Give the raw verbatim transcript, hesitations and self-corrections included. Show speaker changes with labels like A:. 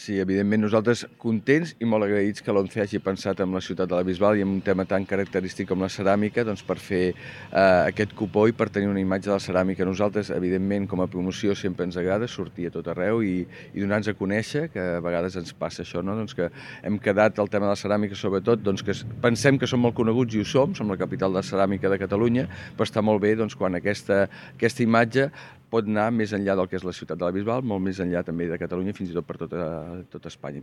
A: Sí, evidentment nosaltres contents i molt agraïts que l'ONCE hagi pensat en la ciutat de la Bisbal i en un tema tan característic com la ceràmica, doncs per fer eh, aquest cupó i per tenir una imatge de la ceràmica. Nosaltres, evidentment, com a promoció sempre ens agrada sortir a tot arreu i, i donar-nos a conèixer, que a vegades ens passa això, no? Doncs que hem quedat el tema de la ceràmica, sobretot, doncs que pensem que som molt coneguts i ho som, som la capital de la ceràmica de Catalunya, però està molt bé doncs, quan aquesta, aquesta imatge pot anar més enllà del que és la ciutat de la Bisbal, molt més enllà també de Catalunya, fins i tot per tota, tota Espanya.